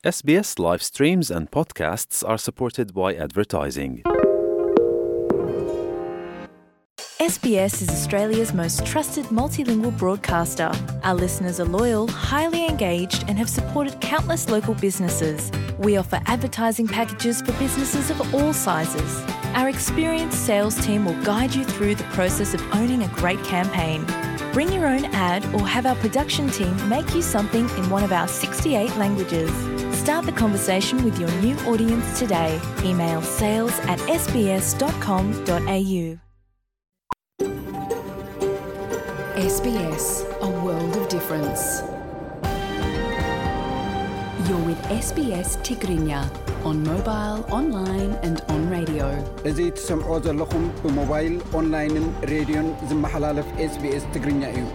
S B S live streams and podcasts are supported by advertising. S B S is Australia's most trusted multilingual broadcaster. Our listeners are loyal, highly engaged, and have supported countless local businesses. We offer advertising packages for businesses of all sizes. Our experienced sales team will guide you through the process of owning a great campaign. Bring your own ad or have our production team make you something in one of our sixty-eight languages. Start the conversation with your new audience today. Email sales at S B S dot com dot A U. S B S, a world of difference. You're with S B S Tigrinya on mobile, online and on radio. እዚ ትሰምዖ ዘለኹም ብሞባይል፣ ኦንላይንን ሬድዮን ዝመሓላለፍ S B S ትግርኛ እዩ።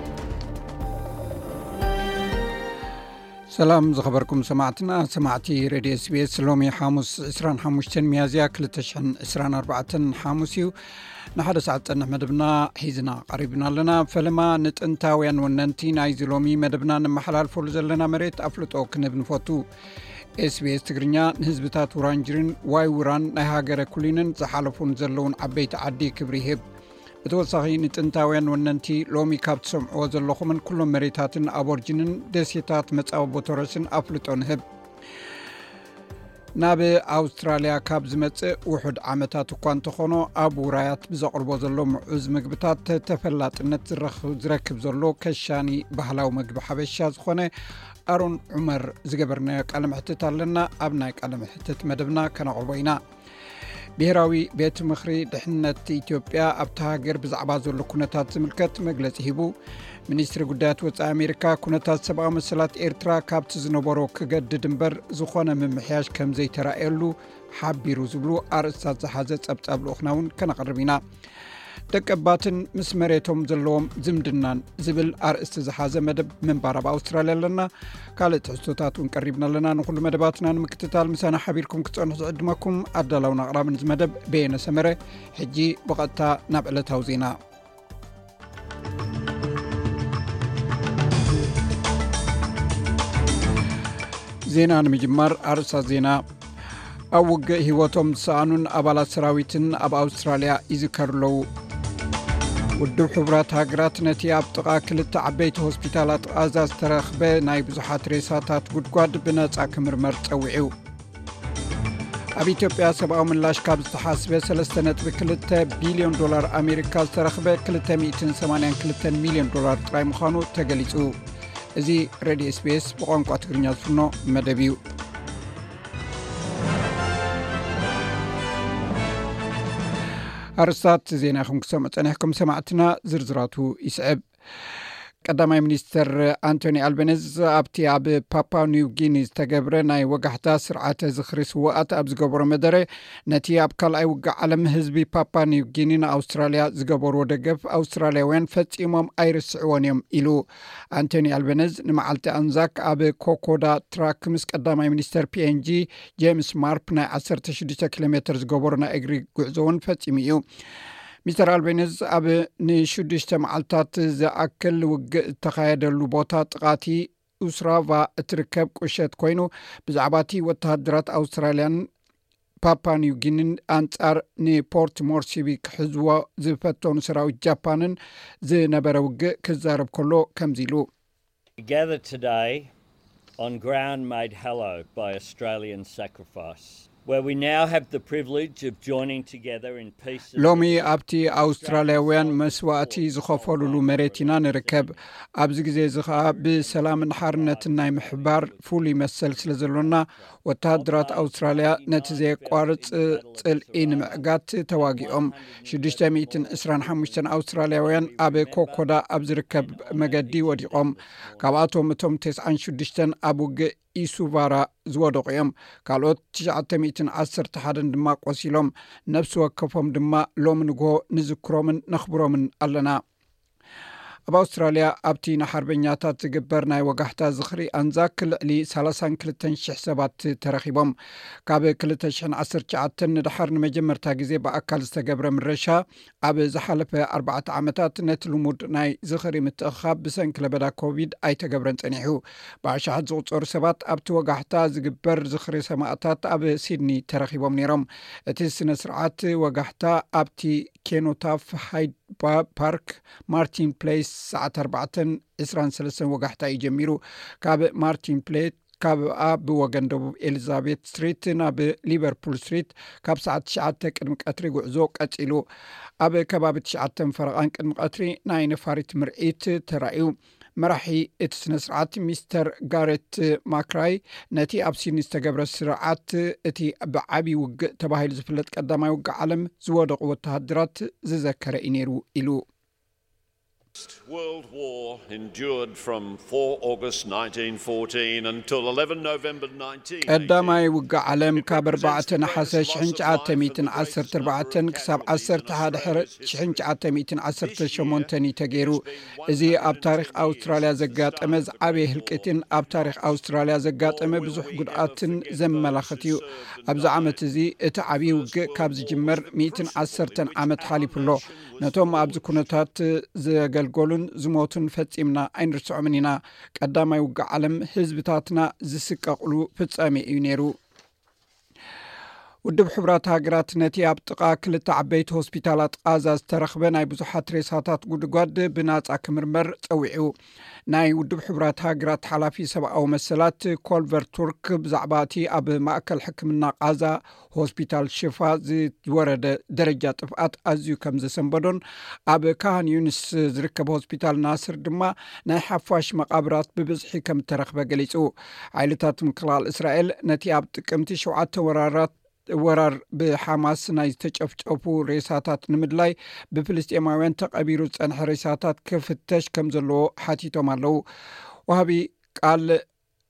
ሰላም ዝኸበርኩም ሰማዕትና፣ ሰማዕቲ ሬድዮ S B S፣ ሎሚ ሓሙስ ዕስራን ሓሙሽተን ሚያዝያ ክልተ ሽሕን ዕስራን ኣርባዕተን ሓሙስ እዩ። ንሓደ ሰዓት ጸንሕ መደብና ሒዝና ቀሪብና ኣለና። ፈለማ ንጥንታውያን ወነንቲ ናይዚ ሎሚ መደብና ንመሓላልፈሉ ዘለና መሬት ኣፍልጦ ክንህብ ንፈቱ። S B S ትግርኛ ንህዝብታት ውራንጅሪን ዋይ ውራን ናይ ሃገረ ኩሊንን ዝሓለፉን ዘለውን ዓበይቲ ዓዲ ክብሪ ይህብ። ብተወሳኺ ንጥንታውያን ወነንቲ ሎሚ ካብ ትሰምዕዎ ዘለኹምን ኩሎም መሬታትን ኣቦርጅንን ደሴታት መጻወቦ ቶረስን ኣፍልጦ ንህብ። ናብ ኣውስትራልያ ካብ ዝመጽእ ውሑድ ዓመታት እኳ እንተኾኖ፣ ኣብ ውራያት ብዘቕርቦ ዘሎ ምዑዝ ምግብታት ተፈላጥነት ዝረኽ-፣ ዝረክብ ዘሎ ከሻኒ ባህላዊ ምግቢ ሓበሻ ዝኾነ ኣሮን ዑመር ዝገበርናዮ ቃለ መሕትት ኣለና። ኣብ ናይ ቃለ መሕትት መደብና ከነቕርቦ ኢና። ብሄራዊ ቤት ምኽሪ ድሕነት ኢትዮጵያ ኣብታ ሃገር ብዛዕባ ዘሎ ኩነታት ዝምልከት መግለጺ ሂቡ። ሚኒስትሪ ጉዳያት ወጻኢ ኣሜሪካ፣ ኩነታት ሰብኣዊ መሰላት ኤርትራ ካብቲ ዝነበሮ ክገድድ እምበር ዝኾነ ምምሕያሽ ከም ዘይተራእየሉ ሓቢሩ ዝብሉ ኣርእስታት ዝሓዘ ጸብጻብ ልኡኽና እውን ከነቕርብ ኢና። ደቀባትን ምስ መሬቶም ዘለዎም ዝምድናን ዝብል ኣርእስቲ ዝሓዘ መደብ ምንባር ኣብ ኣውስትራልያ ኣለና። ካልእ ትሕዝቶታት እውን ቀሪብና ኣለና። ንኹሉ መደባትና ንምክትታል ምሳና ሓቢርኩም ክትጸንሑ ዝዕድመኩም ኣዳላውን ኣቕራብን እዚ መደብ በየነ ሰመረ። ሕጂ ብቐጥታ ናብ ዕለታዊ ዜና። ዜና ንምጅማር ኣርእስታት ዜና። ኣብ ውግእ ህይወቶም ዝሰኣኑን ኣባላት ሰራዊትን ኣብ ኣውስትራልያ ይዝከሩ ኣለዉ። ውድብ ሕቡራት ሃገራት ነቲ ኣብ ጥቓ ክልተ ዓበይቲ ሆስፒታላት ቓዛ ዝተረኽበ ናይ ብዙሓት ሬሳታት ጉድጓድ ብነጻ ክምርመር ጸዊዑ። ኣብ ኢትዮጵያ ሰብኣዊ ምላሽ ካብ ዝተሓስበ ሰለስተ ነጥቢ ክልተ ቢልዮን ዶላር ኣሜሪካ ዝተረኽበ ክልተ ሚእትን ሰማንያን ክልተን ሚልዮን ዶላር ጥራይ ምዃኑ ተገሊጹ። እዚ ሬድዮ S B S ብቋንቋ ትግርኛ ዝፍኖ መደብ እዩ። ኣርስታት ዜና ኢኹም ክሰምዑ ጸኒሕኩም ሰማዕትና፣ ዝርዝራቱ ይስዕብ። ቀዳማይ ሚኒስተር ኣንቶኒ ኣልበነዝ ኣብቲ ኣብ ፓፓ ኒው ጊኒ ዝተገብረ ናይ ወጋሕታ ስርዓተ ዝኽሪ ስውኣት ኣብ ዝገበሮ መደረ፣ ነቲ ኣብ ካልኣይ ውግእ ዓለም ህዝቢ ፓፓ ኒው ጊኒ ንኣውስትራልያ ዝገበርዎ ደገፍ ኣውስትራልያውያን ፈጺሞም ኣይርስዕዎን እዮም ኢሉ። ኣንቶኒ ኣልበነዝ ንመዓልቲ ኣንዛክ ኣብ ኮኮዳ ትራክ ምስ ቀዳማይ ሚኒስተር P N G ጄምስ ማርፕ ናይ ዓሰርተ ሽዱሽተ ኪሎ ሜትር ዝገበሮ ናይ እግሪ ጉዕዞ እውን ፈጺሙ እዩ። ሚስተር ኣልቤኒዝ ኣብ ንሽዱሽተ መዓልታት ዝኣክል ውግእ እተኻየደሉ ቦታ ጥቓቲ ኡስራቫ እትርከብ ቁሸት ኮይኑ፣ ብዛዕባ እቲ ወተሃደራት ኣውስትራልያን ፓፓ ኒው ጊኒን ኣንጻር ንፖርት ሞርሲቢ ክሕዝዎ ዝፈተኑ ሰራዊት ጃፓንን ዝነበረ ውግእ ክዛረብ ከሎ ከምዚ ኢሉ። We gather today on ground made hallowed by Australian sacrifice, where we now have the privilege of joining together in peace and ሎሚ ኣብቲ ኣውስትራልያውያን መስዋእቲ ዝኸፈሉሉ መሬት ኢና ንርከብ። ኣብዚ ግዜ እዚ ኸኣ ብሰላምን ሓርነትን ናይ ምሕባር ፍሉይ መሰል ስለ ዘሎና፣ ወተሃደራት ኣውስትራልያ ነቲ ዘየቋርጽ ጽልኢ ንምዕጋት ተዋጊኦም። ሽዱሽተ ሚእትን ዕስራን ሓሙሽተን ኣውስትራልያውያን ኣብ ኮኮዳ ኣብ ዝርከብ መገዲ ወዲቖም። ካብኣቶም እቶም ተስዓን ሽዱሽተን ኣብ ውግእ ኢሱቫራ ዝወደቑ እዮም። ካልኦት ትሽዓተ ሚእትን ዓሰርተ ሓደን ድማ ቆሲሎም። ነፍሲ ወከፎም ድማ ሎሚ ንግሆ ንዝክሮምን ነኽብሮምን ኣለና። ኣብ ኣውስትራልያ ኣብቲ ንሓርበኛታት ዝግበር ናይ ወጋሕታ ዝኽሪ ኣንዛክ ልዕሊ ሰላሳን ክልተን ሽሕ ሰባት ተረኺቦም። ካብ ክልተ ሽሕን ዓሰርተ ትሽዓተን ንድሓር ንመጀመርታ ግዜ ብኣካል ዝተገብረ ምረሻ፣ ኣብ ዝሓለፈ ኣርባዕተ ዓመታት ነቲ ልሙድ ናይ ዝኽሪ ምትእኽኻብ ብሰንኪ ለበዳ ኮቪድ ኣይተገብረን ጸኒሑ። ብኣሽሓት ዝቑጸሩ ሰባት ኣብቲ ወጋሕታ ዝግበር ዝኽሪ ሰማእታት ኣብ ሲድኒ ተረኺቦም ነይሮም። እቲ ስነ ስርዓት ወጋሕታ ኣብቲ ኬኖታፍ ሃይድ ባ-፣ ፓርክ፣ ማርቲን ፕሌስ፣ ሰዓት ኣርባዕተን ዕስራን ሰለስተን ወጋሕታ እዩ ጀሚሩ። ካብ ማርቲን ፕሌስ፣ ካብኣ ብወገን ደቡብ ኤሊዛቤት ስትሪት ናብ ሊቨርፑል ስትሪት፣ ካብ ሰዓት ትሽዓተ ቅድሚ ቀትሪ ጉዕዞ ቀጺሉ። ኣብ ከባቢ ትሽዓተን ፈረቓን ቅድሚ ቀትሪ ናይ ነፋሪት ምርኢት ተራእዩ። መራሒ እቲ ስነ ስርዓት ሚስተር ጋሬት ማክራይ፣ ነቲ ኣብ ሲድኒ ዝተገብረ ስርዓት፣ እቲ ብዓቢ ውግእ ተባሂሉ ዝፍለጥ ቀዳማይ ውግእ ዓለም ዝወደቑ ወተሃደራት ዝዘከረ እዩ ነይሩ ኢሉ። World War endured from four August nineteen fourteen until eleven November nineteen eighteen. ቀዳማይ ውግእ ዓለም ካብ ኣርባዕተ ነሓሰ ሽሕን ትሽዓተ ሚእትን ዓሰርተ ኣርባዕተን ክሳብ ዓሰርተ ሓደ ሕረ ሽሕን ትሽዓተ ሚእትን ዓሰርተ ሸሞንተን እዩ ተገይሩ። እዚ ኣብ ታሪኽ ኣውስትራልያ ዘጋጠመ ዝዓበየ ህልቂትን ኣብ ታሪኽ ኣውስትራልያ ዘጋጠመ ብዙሕ ጉድኣትን ዘመላኽት እዩ። ኣብዚ ዓመት እዚ እቲ ዓብዪ ውግእ ካብ ዝጅመር ሚእትን ዓሰርተን ዓመት ሓሊፉ ኣሎ። ነቶም ኣብዚ ኩነታት ዘገልገሉን ዝሞቱን ፈጺምና ኣይንርስዖምን ኢና። ቀዳማይ ውግእ ዓለም ህዝብታትና ዝስቀቕሉ ፍጻሜ እዩ ነይሩ። ውድብ ሕቡራት ሃገራት ነቲ ኣብ ጥቓ ክልተ ዓበይቲ ሆስፒታላት ቃዛ ዝተረኽበ ናይ ብዙሓት ሬሳታት ጉድጓድ ብናጻ ክምርመር ጸዊዑ። ናይ ውድብ ሕቡራት ሃገራት ሓላፊ ሰብኣዊ መሰላት ኮልቨር ቱርክ ብዛዕባ እቲ ኣብ ማእከል ሕክምና ቃዛ ሆስፒታል ሽፋ ዝወረደ ደረጃ ጥፍኣት ኣዝዩ ከም ዘሰንበዶን፣ ኣብ ካህን ዩንስ ዝርከብ ሆስፒታል ናስር ድማ ናይ ሓፋሽ መቓብራት ብብዝሒ ከም እተረኽበ ገሊጹ። ሓይልታት ምክልኻል እስራኤል ነቲ ኣብ ጥቅምቲ ሸውዓተ ወራራት፣ ወራር ብሓማስ ናይ ዝተጨፍጨፉ ሬሳታት ንምድላይ፣ ብፍልስጤማውያን ተቐቢሩ ዝጸንሐ ሬሳታት ክፍተሽ ከም ዘለዎ ሓቲቶም ኣለዉ። ወሃቢ ቃል፣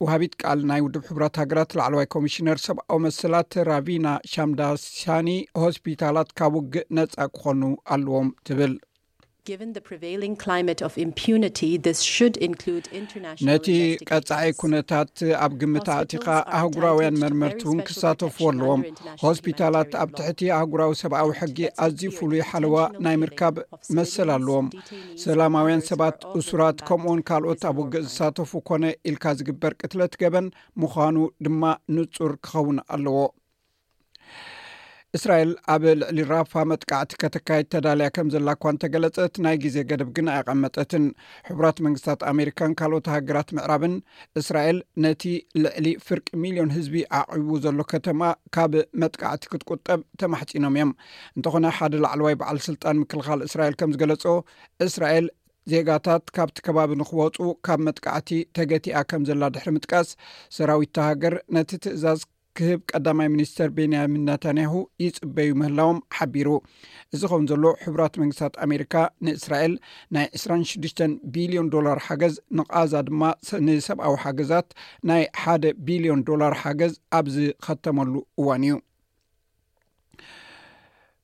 ወሃቢት ቃል ናይ ውድብ ሕቡራት ሃገራት ላዕለዋይ ኮሚሽነር ሰብኣዊ መሰላት ራቪና ሻምዳሳኒ፣ ሆስፒታላት ካብ ውግእ ነጻ ክኾኑ ኣለዎም ትብል። Given the prevailing climate of impunity, this should include international ነቲ investigators. ቀጻዒ ኩነታት ኣብ ግምት ኣእቲኻ፣ ኣህጉራውያን መርመርቲ እውን ክሳተፉ ኣለዎም። ሆስፒታላት ኣብ ትሕቲ ኣህጉራዊ ሰብኣዊ ሕጊ ኣዝዩ ፍሉይ ሓለዋ ናይ ምርካብ መሰል ኣለዎም። ሰላማውያን ሰባት፣ እሱራት፣ ከምኡውን ካልኦት ኣብ ውግእ ዝሳተፉ ኮነ ኢልካ ዝግበር ቅትለት ገበን ምዃኑ ድማ ንጹር ክኸውን ኣለዎ። እስራኤል ኣብ ልዕሊ ራፋ መጥቃዕቲ ከተካይድ ተዳልያ ከም ዘላ እኳ እንተገለጸት፣ ናይ ግዜ ገደብ ግን ኣየቐመጠትን። ሕቡራት መንግስታት ኣሜሪካን ካልኦት ሃገራት ምዕራብን እስራኤል ነቲ ልዕሊ ፍርቂ ሚልዮን ህዝቢ ዓቒቡ ዘሎ ከተማ ካብ መጥቃዕቲ ክትቁጠብ ተማሕጺኖም እዮም። እንተኾነ ሓደ ላዕለዋይ በዓል ስልጣን ምክልኻል እስራኤል ከም ዝገለጾ፣ እስራኤል ዜጋታት ካብቲ ከባቢ ንክወጹ ካብ መጥቃዕቲ ተገቲኣ ከም ዘላ ድሕሪ ምጥቃስ፣ ሰራዊት እታ ሃገር ነቲ ትእዛዝ ክህብ ቀዳማይ ሚኒስተር ቤንያሚን ናታንያሁ ይጽበዩ ምህላዎም ሓቢሩ። እዚ ኸውን ዘሎ፣ ሕቡራት መንግስታት ኣሜሪካ ንእስራኤል ናይ ዕስራን ሽዱሽተን ቢልዮን ዶላር ሓገዝ፣ ንቓዛ ድማ ስ-፣ ንሰብኣዊ ሓገዛት ናይ ሓደ ቢልዮን ዶላር ሓገዝ ኣብ ዝኸተመሉ እዋን እዩ።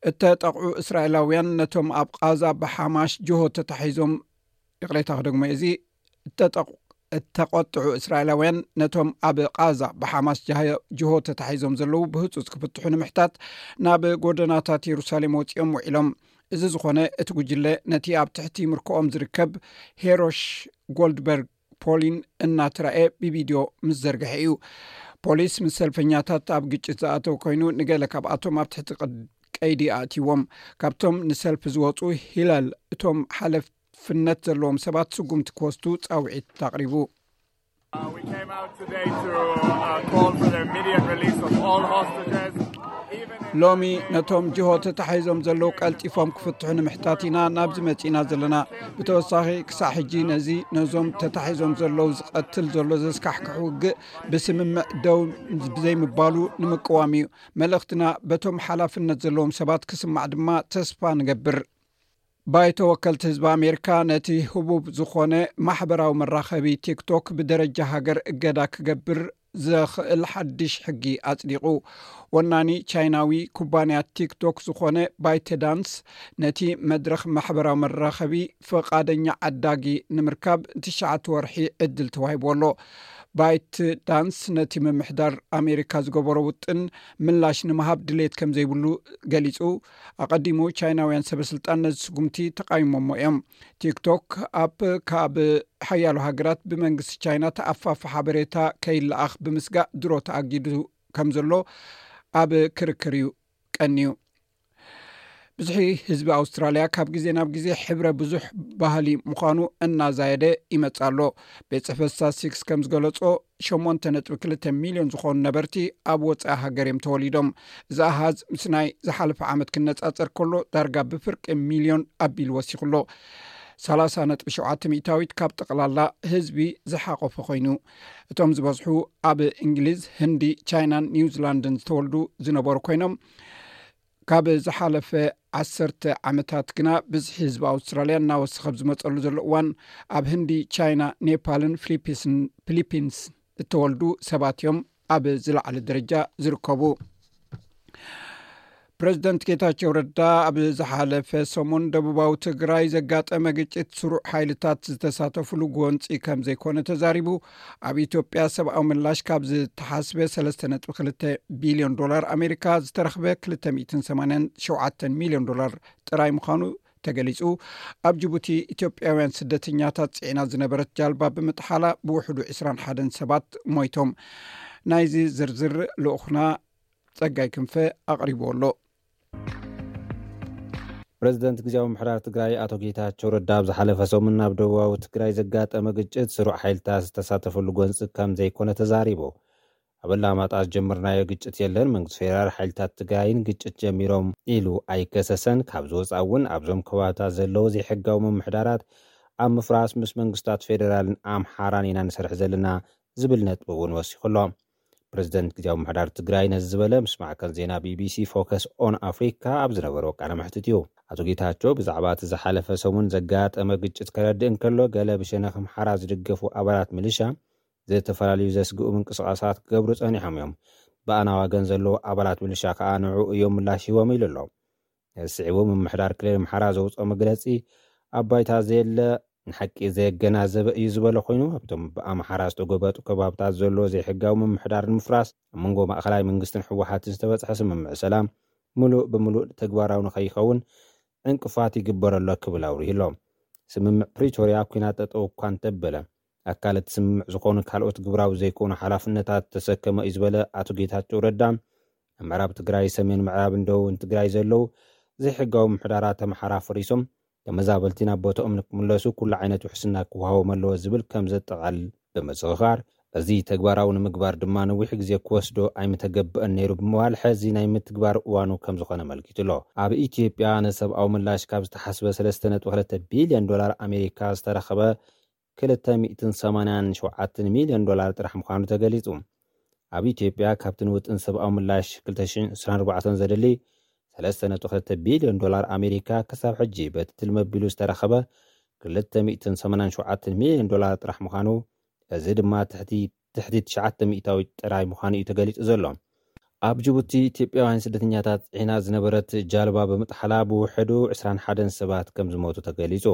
እተጠቕዑ እስራኤላውያን ነቶም ኣብ ቓዛ ብሓማሽ ጅሆ ተታሒዞም፣ ይቕሬታ ክደግሞ፣ እዚ እተጠቕ-፣ እተቖጥዑ እስራኤላውያን ነቶም ኣብ ቓዛ ብሓማስ ጃህ-፣ ጅሆ ተታሒዞም ዘለዉ ብህጹጽ ክፍትሑ ንምሕታት ናብ ጎደናታት የሩሳሌም ወጺኦም ውዒሎም። እዚ ዝኾነ፣ እቲ ጉጅለ ነቲ ኣብ ትሕቲ ምርኮኦም ዝርከብ ሄሮሽ ጎልድበርግ ፖሊን እናተራእየ ብቪድዮ ምስ ዘርግሐ እዩ። ፖሊስ ምስ ሰልፈኛታት ኣብ ግጭት ዝኣተው ኮይኑ፣ ንገለ ካብኣቶም ኣብ ትሕቲ ቅድ-፣ ቀይዲ ኣእትይዎም። ካብቶም ንሰልፊ ዝወጹ ሂላል፣ እቶም ሓለፍነት ዘለዎም ሰባት ስጉምቲ ክወስዱ ጻውዒት ኣቕሪቡ። Uh, we came out today to, uh, call for the immediate release of all hostages, even if ሎሚ ነቶም ጅሆ ተታሒዞም ዘለዉ ቀልጢፎም ክፍትሑ ንምሕታት ኢና ናብዚ መጺእና ዘለና። ብተወሳኺ፣ ክሳዕ ሕጂ ነዚ ነዞም ተታሒዞም ዘለዉ ዝቐትል ዘሎ ዘስካሕክሕ ውግእ ብስምምዕ ደው ብዘይምባሉ ንምቅዋም እዩ። መልእኽትና በቶም ሓላፍነት ዘለዎም ሰባት ክስማዕ ድማ ተስፋ ንገብር። ባይቶ ወከልቲ ህዝቢ ኣሜሪካ ነቲ ህቡብ ዝኾነ ማሕበራዊ መራኸቢ ቲክቶክ ብደረጃ ሃገር እገዳ ክገብር ዘኽእል ሓድሽ ሕጊ ኣጽዲቑ። ወናኒ ቻይናዊ ኩባንያ ቲክቶክ ዝኾነ ባይተዳንስ ነቲ መድረኽ ማሕበራዊ መራኸቢ ፈቓደኛ ዓዳጊ ንምርካብ ትሽዓተ ወርሒ ዕድል ተዋሂብዎ ኣሎ። ባይት ዳንስ ነቲ ምምሕዳር ኣሜሪካ ዝገበሮ ውጥን ምላሽ ንምሃብ ድሌት ከም ዘይብሉ ገሊጹ። ኣቐዲሙ ቻይናውያን ሰበስልጣን ነዚ ስጉምቲ ተቓይሞሞ እዮም። ቲክቶክ ኣፕ ካብ ሓያሎ ሃገራት ብመንግስቲ ቻይና ተኣፋፊ ሓበሬታ ከይለኣኽ ብምስጋእ ድሮ ተኣጊዱ ከም ዘሎ ኣብ ክርክር እዩ ቀንዩ። ብዝሒ ህዝቢ ኣውስትራልያ ካብ ግዜ ናብ ግዜ ሕብረ ብዙሕ ባህሊ ምዃኑ እናዛየደ ይመጽእ ኣሎ። ቤት ጽሕፈት ስታትስቲክስ ከም ዝገለጾ ሸሞንተ ነጥቢ ክልተ ሚልዮን ዝኾኑ ነበርቲ ኣብ ወጻኢ ሃገር እዮም ተወሊዶም። እዚ ኣሃዝ ምስ ናይ ዝሓለፈ ዓመት ክነጻጸር ከሎ ዳርጋ ብፍርቂ ሚልዮን ኣቢሉ ወሲኹ ኣሎ። ሰላሳ ነጥቢ ሸውዓተ ሚእታዊት ካብ ጠቕላላ ህዝቢ ዝሓቆፈ ኮይኑ፣ እቶም ዝበዝሑ ኣብ እንግሊዝ፣ ህንዲ፣ ቻይናን ኒውዚላንድን ዝተወልዱ ዝነበሩ ኮይኖም፣ ካብ ዝሓለፈ ዓሰርተ ዓመታት ግና ብዝሒ ህዝቢ ኣውስትራልያ እናወሰኸ ኣብ ዝመጸሉ ዘሎ እዋን፣ ኣብ ህንዲ፣ ቻይና፣ ኔፓልን ፊሊፒስን ፊሊፒንስ እተወልዱ ሰባት እዮም ኣብ ዝለዓለ ደረጃ ዝርከቡ። ፕሬዚደንት ጌታቸው ረዳ ኣብ ዝሓለፈ ሰሙን ደቡባዊ ትግራይ ዘጋጠመ ግጭት ስሩዕ ሓይልታት ዝተሳተፉሉ ጎንፂ ከም ዘይኮነ ተዛሪቡ። ኣብ ኢትዮጵያ ሰብኣዊ ምላሽ ካብ ዝተሓስበ ሰለስተ ነጥቢ ክልተ ቢልዮን ዶላር ኣሜሪካ ዝተረኽበ ክልተ ሚእትን ሰማንያን ሸውዓተን ሚልዮን ዶላር ጥራይ ምዃኑ ተገሊጹ። ኣብ ጅቡቲ ኢትዮጵያውያን ስደተኛታት ጽዒና ዝነበረት ጃልባ ብምጥሓላ ብውሕዱ ዕስራን ሓደን ሰባት ሞይቶም። ናይዚ ዝርዝር ልኡኽና ጸጋይ ክንፈ ኣቕሪብዎ ኣሎ። ፕሬዚደንት ግዜያዊ ምምሕዳር ትግራይ ኣቶ ጌታቸው ረዳ ኣብ ዝሓለፈ ሰሙን ኣብ ደቡባዊ ትግራይ ዘጋጠመ ግጭት ስሩዕ ሓይልታት ዝተሳተፈሉ ጎንፂ ከም ዘይኮነ ተዛሪቡ። ኣብ ኣላማጣ ዝጀመርናዮ ግጭት የለን፣ መንግስቲ ፌደራል ሓይልታት ትግራይን ግጭት ጀሚሮም ኢሉ ኣይከሰሰን። ካብ ዝወፃ እውን ኣብዞም ከባብታት ዘለዉ ዘይሕጋዊ ምምሕዳራት ኣብ ምፍራስ ምስ መንግስታት ፌደራልን ኣምሓራን ኢና ንሰርሕ ዘለና ዝብል ነጥቢ እውን ወሲኹ ኣሎ። ፕሬዚደንት ግዜያዊ ምምሕዳር ትግራይ ነዚ ዝበለ ምስ ማዕከን ዜና ቢቢሲ ፎከስ ኦን ኣፍሪካ ኣብ ዝነበሮ ቃለ መሕትት እዩ። ኣቶ ጌታቸው ብዛዕባ እቲ ዝሓለፈ ሰሙን ዘጋጠመ ግጭት ከረድእ እንከሎ፣ ገለ ብሸነኽ ኣምሓራ ዝድገፉ ኣባላት ሚሊሻ ዝተፈላለዩ ዘስግኡ ምንቅስቓሳት ክገብሩ ጸኒሖም እዮም። ብኣና ወገን ዘለዉ ኣባላት ሚሊሻ ከኣ ንዕኡ እዮም ምላሽ ሂቦም ኢሉ ኣሎ። እዚ ስዒቡ ምምሕዳር ክልል ኣምሓራ ዘውፅኦ መግለፂ፣ ኣብ ባይታ ዘየለ ንሓቂ ዘየገናዘበ እዩ ዝበለ ኮይኑ፣ ኣብቶም ብኣምሓራ ዝተጎበጡ ከባብታት ዘሎ ዘይሕጋዊ ምምሕዳር ንምፍራስ ኣብ መንጎ ማእኸላይ መንግስትን ህወሓትን ዝተበፅሐ ስምምዕ ሰላም ምሉእ ብምሉእ ተግባራዊ ንኸይኸውን ዕንቅፋት ይግበር ኣሎ ክብል ኣውሪሁ ኣሎ። ስምምዕ ፕሪቶርያ ኣብ ኲናት ጠጠው እኳ እንተበለ፣ ኣካል እቲ ስምምዕ ዝኾኑ ካልኦት ግብራዊ ዘይኮኑ ሓላፍነታት ዝተሰከመ እዩ ዝበለ ኣቶ ጌታቸው ረዳ፣ ኣብ ምዕራብ ትግራይ፣ ሰሜን ምዕራብን ደቡብን ትግራይ ዘለዉ ዘይሕጋዊ ምሕዳራት ኣምሓራ ፈሪሶም ተመዛበልቲ ናብ ቦታኦም ንክምለሱ ኩሉ ዓይነት ውሕስና ክወሃቦም ኣለዎ ዝብል ከም ዘጠቓልል ብምዝኽኻር፣ እዚ ተግባራዊ ንምግባር ድማ ነዊሕ ግዜ ክወስዶ ኣይምተገብአን ነይሩ ብምባል፣ ሕዚ ናይ ምትግባር እዋኑ ከም ዝኾነ ኣመልኪቱ ኣሎ። ኣብ ኢትዮጵያ ንሰብኣዊ ምላሽ ካብ ዝተሓስበ ሰለስተ ነጥቢ ክልተ ቢልዮን ዶላር ኣሜሪካ ዝተረኸበ ክልተ ሚእትን ሰማንያን ሸውዓተን ሚልዮን ዶላር ጥራሕ ምዃኑ ተገሊጹ። ኣብ ኢትዮጵያ ካብቲ ንውጥን ሰብኣዊ ምላሽ ክልተ ሽሕን ዕስራን ኣርባዕተን ዘድሊ ሰለስተ ነጥቢ ክልተ ቢልዮን ዶላር ኣሜሪካ ክሳብ ሕጂ በቲ ትልሚ ኣቢሉ ዝተረኸበ ክልተ ሚእትን ሰማንያን ሸውዓተን ሚልዮን ዶላር ጥራሕ ምዃኑ፣ እዚ ድማ ትሕቲ ትሕቲ ትሽዓተ ሚእታዊት ጥራይ ምዃኑ እዩ ተገሊጹ ዘሎ። ኣብ ጅቡቲ ኢትዮጵያውያን ስደተኛታት ዒና ዝነበረት ጃልባ ብምጥሓላ ብውሕዱ ዕስራን ሓደን ሰባት ከም ዝሞቱ ተገሊጹ።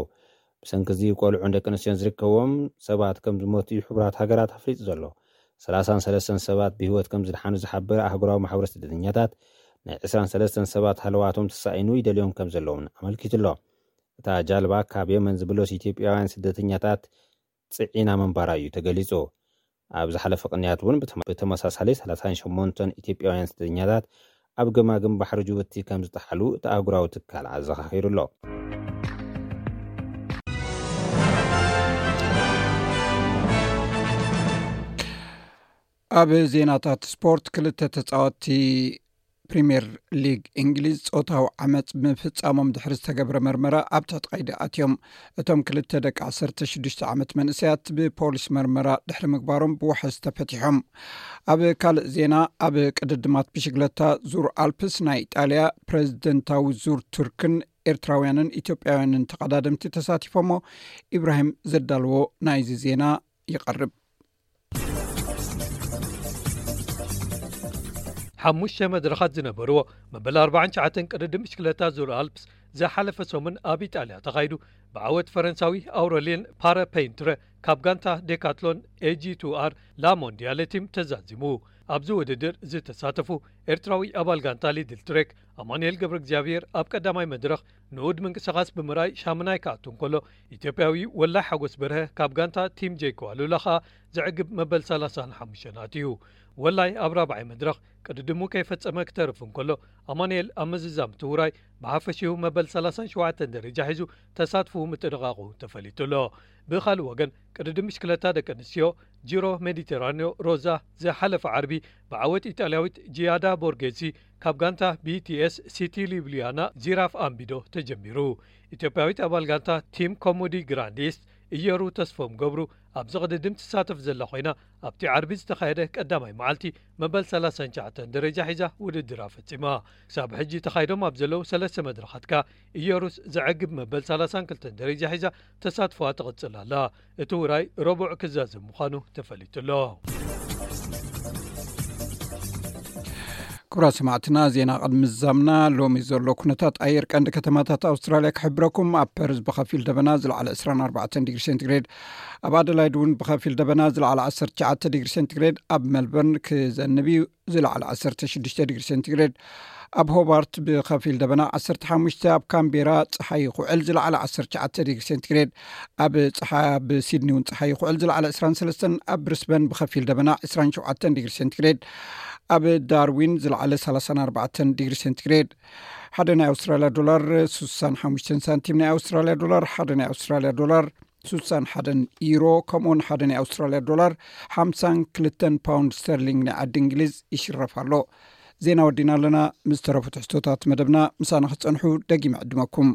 ብሰንኪ እዚ ቆልዑን ደቂ ኣንስትዮን ዝርከብዎም ሰባት ከም ዝሞቱ እዩ ሕቡራት ሃገራት ኣፍሊጡ ዘሎ። ሰላሳን ሰለስተን ሰባት ብህይወት ከም ዝደሓኑ ዝሓበረ ኣህጉራዊ ማሕበረ ስደተኛታት፣ ናይ ዕስራን ሰለስተን ሰባት ሃለዋቶም ተሳኢኑ ይደልዮም ከም ዘለውን ኣመልኪቱ ኣሎ። እታ ጃልባ ካብ የመን ዝብለሱ ኢትዮጵያውያን ስደተኛታት ጽዒና ምንባራ እዩ ተገሊጹ። ኣብ ዝሓለፈ ቅንያት እውን ብተመ-፣ ብተመሳሳሊ ሰላሳን ሸሞንተን ኢትዮጵያውያን ስደተኛታት ኣብ ገማግም ባሕሪ ጅቡቲ ከም ዝጠሓሉ እቲ ኣህጉራዊ ትካል ኣዘኻኺሩ ኣሎ። ኣብ ዜናታት ስፖርት፣ ክልተ ተጻወትቲ ፕሪምየር ሊግ እንግሊዝ ጾታዊ ዓመጽ ምፍጻሞም ድሕሪ ዝተገብረ መርመራ ኣብ ትሕቲ ቀይዲ ኣትዮም። እቶም ክልተ ደቂ ዓሰርተ ሽዱሽተ ዓመት መንእሰያት ብፖሊስ መርመራ ድሕሪ ምግባሮም ብዋሕስ ተፈቲሖም። ኣብ ካልእ ዜና፣ ኣብ ቅድድማት ብሽግለታ ዙር ኣልፕስ ናይ ኢጣልያ ፕሬዝደንታዊ ዙር ቱርክን ኤርትራውያንን ኢትዮጵያውያንን ተቐዳደምቲ ተሳቲፎሞ። ኢብራሂም ዘዳልዎ ናይዚ ዜና ይቐርብ። ሓሙሽተ መድረኻት ዝነበርዎ መበል ኣርባዓን ትሽዓተን ቅድድም ብሽክለታ ዙር ኣልፕስ ዝሓለፈ ሰሙን ኣብ ኢጣልያ ተኻይዱ፣ ብዓወት ፈረንሳዊ ኣውረልየን ፓረፔንትረ ካብ ጋንታ ዴካትሎን ኤጂ ቱ ኣር ላሞንዲያለ ቲም ተዛዚሙ። ኣብዚ ውድድር ዝተሳተፉ ኤርትራዊ ኣባል ጋንታ ሊድል ትሬክ ኣማኑኤል ገብረ እግዚኣብሔር ኣብ ቀዳማይ መድረኽ ንኡድ ምንቅስቓስ ብምርኣይ ሻምናይ ክኣቱ እንከሎ፣ ኢትዮጵያዊ ወላይ ሓጎስ በርሀ ካብ ጋንታ ቲም ጄኮ ኣሉላ ኸኣ ዘዕግብ መበል ሰላሳን ሓሙሽተን ኣትዩ። ወላይ ኣብ ራብዓይ መድረኽ ቅድድሙ ከይፈጸመ ክተርፍ እንከሎ፣ ኣማኑኤል ኣብ ምዝዛም እቲ ውራይ ብሓፈሽኡ መበል ሰላሳን ሸውዓተን ደረጃ ሒዙ ተሳትፎኡ ምጥንቓቑ ተፈሊጡ ኣሎ። ብኻልእ ወገን፣ ቅድድም ብሽክለታ ደቂ ኣንስትዮ ጂሮ ሜዲተራንዮ ሮዛ ዝሓለፈ ዓርቢ ብዓወት ኢጣልያዊት ጂያዳ ቦርጌሲ ካብ ጋንታ ቢቲኤስ ሲቲ ሊብሊያና ዚራፍ ኣምቢዶ ተጀሚሩ። ኢትዮጵያዊት ኣባል ጋንታ ቲም ኮሙዲ ግራንድ ኢስት እየሩ ተስፎም ገብሩ ኣብዚ ቅድድም ትሳተፍ ዘላ ኮይና፣ ኣብቲ ዓርቢ ዝተኻየደ ቀዳማይ መዓልቲ መበል ሰላሳን ትሽዓተን ደረጃ ሒዛ ውድድራ ፈጺማ። ክሳብ ሕጂ ተኻይዶም ኣብ ዘለዉ ሰለስተ መድረኻት ከኣ እየሩስ ዘዕግብ መበል ሰላሳን ክልተን ደረጃ ሒዛ ተሳትፎኣ ትቕጽል ኣላ። እቲ ውራይ ረቡዕ ክዛዘም ምዃኑ ተፈሊጡ ኣሎ። ክቡራት ሰማዕትና፣ ዜና ቅድሚ ምዝዛምና፣ ሎሚ ዘሎ ኩነታት ኣየር ቀንዲ ከተማታት ኣውስትራልያ ክሕብረኩም። ኣብ ፐርዝ ብኸፊል ደበና፣ ዝለዓለ ዕስራን ኣርባዕተን ዲግሪ ሴንቲግሬድ፣ ኣብ ኣደላይድ እውን ብኸፊል ደበና፣ ዝለዓለ ዓሰርተ ትሽዓተ ዲግሪ ሴንቲግሬድ፣ ኣብ ሜልበርን ክዘንብ እዩ፣ ዝለዓለ ዓሰርተ ሽዱሽተ ዲግሪ ሴንቲግሬድ፣ ኣብ ሆባርት ብኸፊል ደበና ዓሰርተ ሓሙሽተ፣ ኣብ ካምቤራ ጸሓይ ይኹዕል፣ ዝለዓለ ዓሰርተ ትሽዓተ ዲግሪ ሴንቲግሬድ፣ ኣብ ጸሓ-፣ ኣብ ሲድኒ እውን ጸሓይ ይኹዕል፣ ዝለዓለ ዕስራን ሰለስተን፣ ኣብ ብሪስበን ብኸፊል ደበና ዕስራን ሸውዓተን ዲግሪ ሴንቲግሬድ፣ ኣብ ዳርዊን ዝለዓለ ሰላሳን ኣርባዕተን ዲግሪ ሴንቲግሬድ። ሓደ ናይ ኣውስትራልያ ዶላር ስሳን ሓሙሽተን ሳንቲም ናይ ኣውስትራልያ ዶላር፣ ሓደ ናይ ኣውስትራልያ ዶላር ስሳን ሓደን ዩሮ፣ ከምኡውን ሓደ ናይ ኣውስትራልያ ዶላር ሓምሳን ክልተን ፓውንድ ስተርሊንግ ናይ ዓዲ እንግሊዝ ይሽረፍ ኣሎ። ዜና ወዲና ኣለና። ምስ ተረፉ ትሕዝቶታት መደብና ምሳና ክትጸንሑ ደጊመ ዕድመኩም።